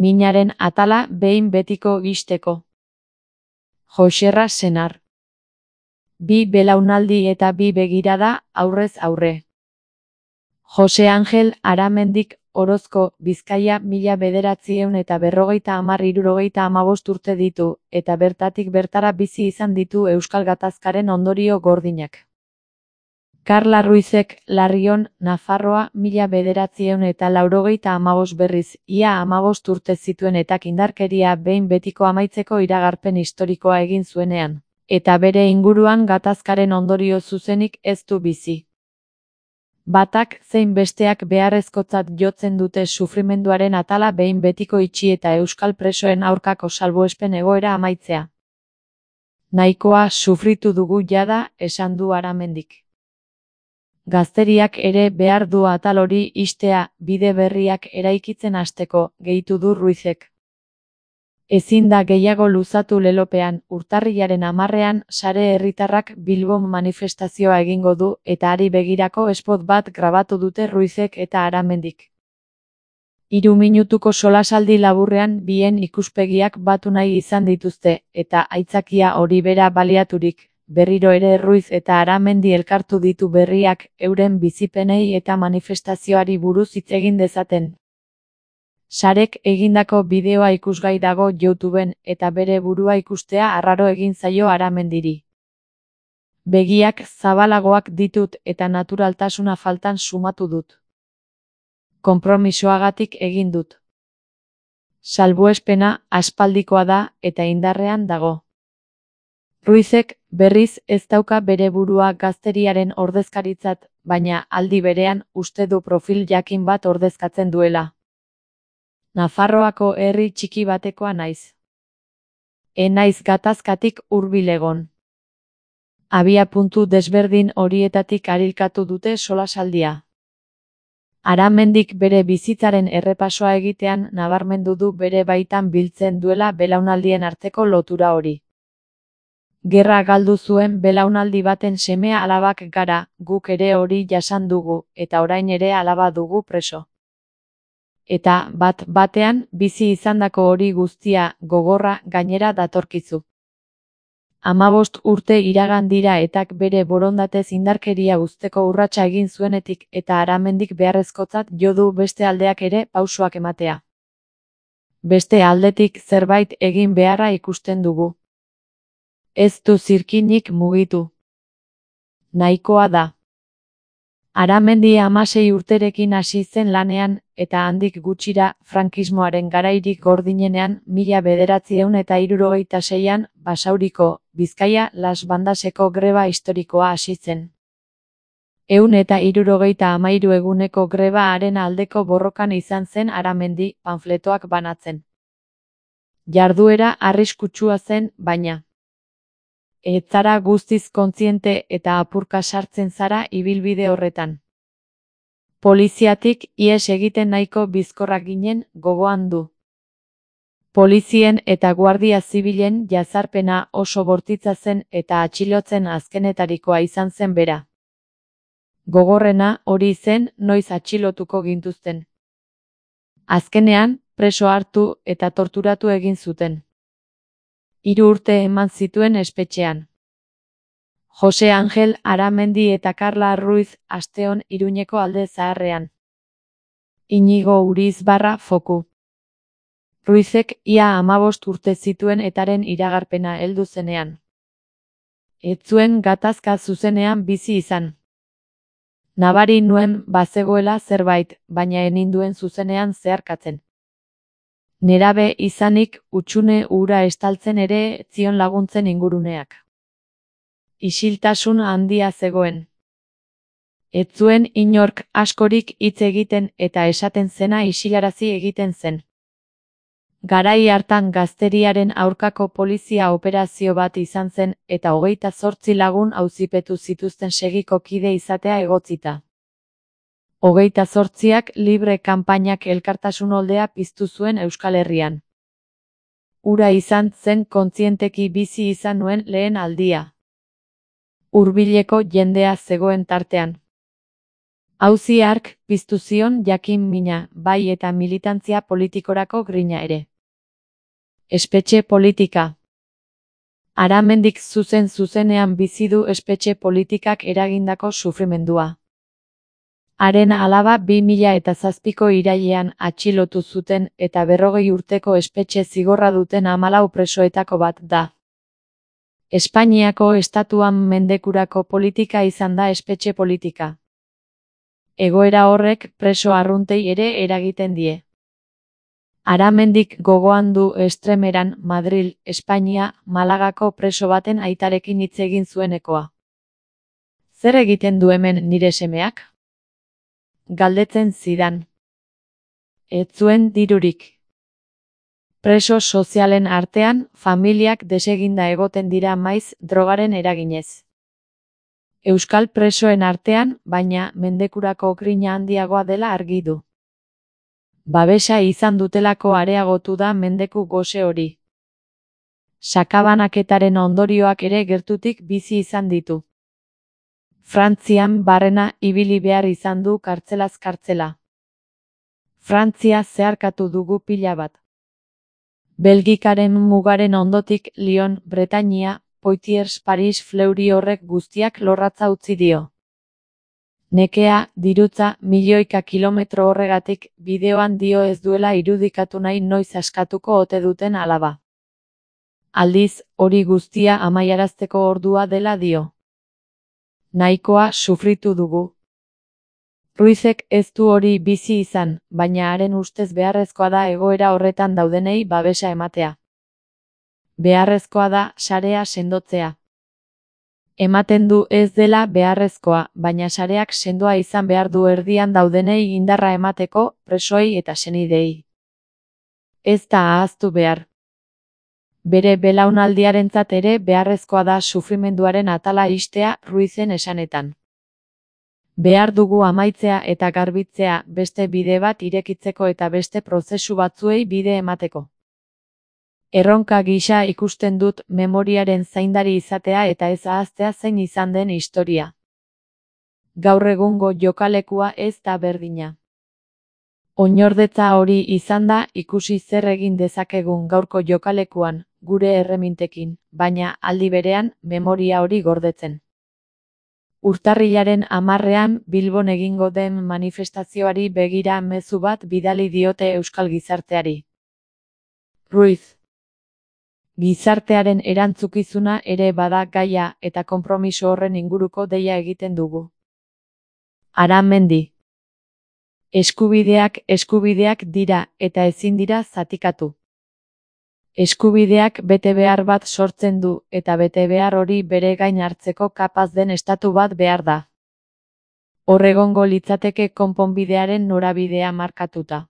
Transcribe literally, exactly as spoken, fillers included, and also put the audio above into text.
minaren atala behin betiko ixteko. Joxerra senar. Bi belaunaldi eta bi begirada aurrez aurre. Jose Angel Aramendik Orozko, Bizkaia, mila bederatziehun eta berrogeita hamar hirurogeita hamabost urte ditu, eta bertatik bertara bizi izan ditu Euskal Gatazkaren ondorio gordinak. Karla Ruizek, Larrion, Nafarroa, mila bederatziehun eta laurogeita hamabost berriz, ia hamabost urte zituen eta indarkeria behin betiko amaitzeko iragarpen historikoa egin zuenean, eta bere inguruan gatazkaren ondorio zuzenik ez du bizi. Batak zein besteak beharrezkotzat jotzen dute sufrimenduaren atala behin betiko itxi eta euskal presoen aurkako salbuespen egoera amaitzea. Nahikoa sufritu dugu jada, esan du Aramendik. Gazteriak ere behar du atal hori ixtea, bide berriak eraikitzen hasteko, gehitu du Ruizek. Ezin da gehiago luzatu lelopean, urtarrilaren hamarrean sare herritarrak Bilbon manifestazioa egingo du eta hari begirako spot bat grabatu dute Ruizek eta Aramendik. Hiru minutuko solasaldi laburrean bien ikuspegiak batu nahi izan dituzte, eta aitzakia hori bera baliaturik, berriro ere Ruiz eta Aramendi elkartu ditu berriak euren bizipenei eta manifestazioari buruz hitz egin dezaten. Sarek egindako bideoa ikusgai dago YouTubeen eta bere burua ikustea arraro egin zaio Aramendiri. Begiak zabalagoak ditut eta naturaltasuna faltan sumatu dut. Konpromisoagatik egin dut. Salbuespena aspaldikoa da eta indarrean dago. Ruizek, berriz, ez dauka bere burua gazteriaren ordezkaritzat, baina aldi berean uste du profil jakin bat ordezkatzen duela. Nafarroako herri txiki batekoa naiz. E naiz gatazkatik hurbil egon. Abia puntu desberdin horietatik arilkatu dute solasaldia. Aramendik bere bizitzaren errepasoa egitean nabarmendu du bere baitan biltzen duela belaunaldien arteko lotura hori. Gerra galdu zuen belaunaldi baten seme alabak gara, guk ere hori jasan dugu, eta orain ere alaba dugu preso. Eta bat batean bizi izandako hori guztia gogorra gainera datorkizu. Hamabost urte iragan dira etak bere borondatez indarkeria uzteko urratsa egin zuenetik eta Aramendik beharrezkotzat jo du beste aldeak ere pausoak ematea. Beste aldetik zerbait egin beharra ikusten dugu. Ez du zirkinik mugitu. Nahikoa da. Aramendi hamasei urterekin hasi zen lanean, eta handik gutxira, frankismoaren garairik gordinenean, mila bederatziehun eta hirurogeita seian, Basauriko, Bizkaia, Las Bandaseko greba historikoa hasi zen. Ehun eta hirurogeita hamairu eguneko greba haren aldeko borrokan izan zen Aramendi, panfletoak banatzen. Jarduera arriskutsua zen, baina. Ez zara guztiz kontziente eta apurka sartzen zara ibilbide horretan. Poliziatik ihes egiten nahiko bizkorrak ginen, gogoan du. Polizien eta guardia zibilen jazarpena oso bortitza zen eta atxilotzen azkenetarikoa izan zen bera. Gogorrena hori zen noiz atxilotuko gintuzten. Azkenean, preso hartu eta torturatu egin zuten. Hiru urte eman zituen espetxean. Jose Angel Aramendi eta Karla Ruiz Asteon Iruñeko alde zaharrean. Inigo Urizbarra Foku. Ruizek ia hamabost urte zituen etaren iragarpena heldu zenean. Ez zuen gatazka zuzenean bizi izan. Nabari nuen bazegoela zerbait, baina eninduen zuzenean zeharkatzen. Nerabe izanik utxune ura estaltzen ere zion laguntzen inguruneak. Isiltasun handia zegoen. Ez zuen inork askorik hitz egiten eta esaten zena isilarazi egiten zen. Garai hartan gazteriaren aurkako polizia operazio bat izan zen eta hogeita zortzi lagun auzipetu zituzten segiko kide izatea egotzita. Hogeita zortziak libre kanpainak elkartasun oldea piztu zuen Euskal Herrian. Ura izan zen kontzienteki bizi izan nuen lehen aldia. Hurbileko jendea zegoen tartean. Auzi hark piztu zion jakin mina, bai eta militantzia politikorako grina ere. Espetxe politika. Aramendik zuzen zuzenean bizi du espetxe politikak eragindako sufrimendua. Haren alaba bi mila eta zazpiko irailean atxilotu zuten eta berrogei urteko espetxe zigorra duten hamalau presoetako bat da. Espainiako estatuan mendekurako politika izan da espetxe politika. Egoera horrek preso arruntei ere eragiten die. Aramendik gogoan du Estremeran, Madril, Espainia, Malagako preso baten aitarekin hitz egin zuenekoa. Zer egiten du hemen nire semeak? Galdetzen zidan. Ez zuen dirurik. Preso sozialen artean, familiak deseginda egoten dira maiz drogaren eraginez. Euskal presoen artean, baina mendekurako grina handiagoa dela argi du. Babesa izan dutelako areagotu da mendeku gose hori. Sakabanaketaren ondorioak ere gertutik bizi izan ditu. Frantzian barrena ibili behar izan du kartzelaz kartzela. Frantzia zeharkatu dugu pila bat. Belgikaren mugaren ondotik Lyon, Bretainia, Poitiers, Paris, Fleury horrek guztiak lorratza utzi dio. Nekea, dirutza, milioika kilometro horregatik, bideoan dio ez duela irudikatu nahi noiz askatuko ote duten alaba. Aldiz, hori guztia amaiarazteko ordua dela dio. Nahikoa sufritu dugu. Ruizek ez du hori bizi izan, baina haren ustez beharrezkoa da egoera horretan daudenei babesa ematea. Beharrezkoa da sarea sendotzea. Ematen du ez dela beharrezkoa, baina sareak sendoa izan behar du erdian daudenei indarra emateko, presoei eta senidei. Ez da ahaztu behar. Bere belaunaldiarentzat ere beharrezkoa da sufrimenduaren atala ixtea Ruizen esanetan. Behar dugu amaitzea eta garbitzea beste bide bat irekitzeko eta beste prozesu batzuei bide emateko. Erronka gisa ikusten dut memoriaren zaindari izatea eta ez ahaztea zein izan den historia. Gaur egungo jokalekua ez da berdina. Oinordetza hori izan da ikusi zer egin dezakegun gaurko jokalekuan, gure erremintekin, baina aldi berean memoria hori gordetzen. Urtarrilaren hamarrean Bilbon egingo den manifestazioari begira mezu bat bidali diote euskal gizarteari. Ruiz. Gizartearen erantzukizuna ere bada gaia eta konpromiso horren inguruko deia egiten dugu. Aramendi. Eskubideak eskubideak dira eta ezin dira zatikatu. Eskubideak bete behar bat sortzen du eta bete behar hori bere gain hartzeko kapaz den estatu bat behar da. Hor egongo litzateke konponbidearen norabidea markatuta.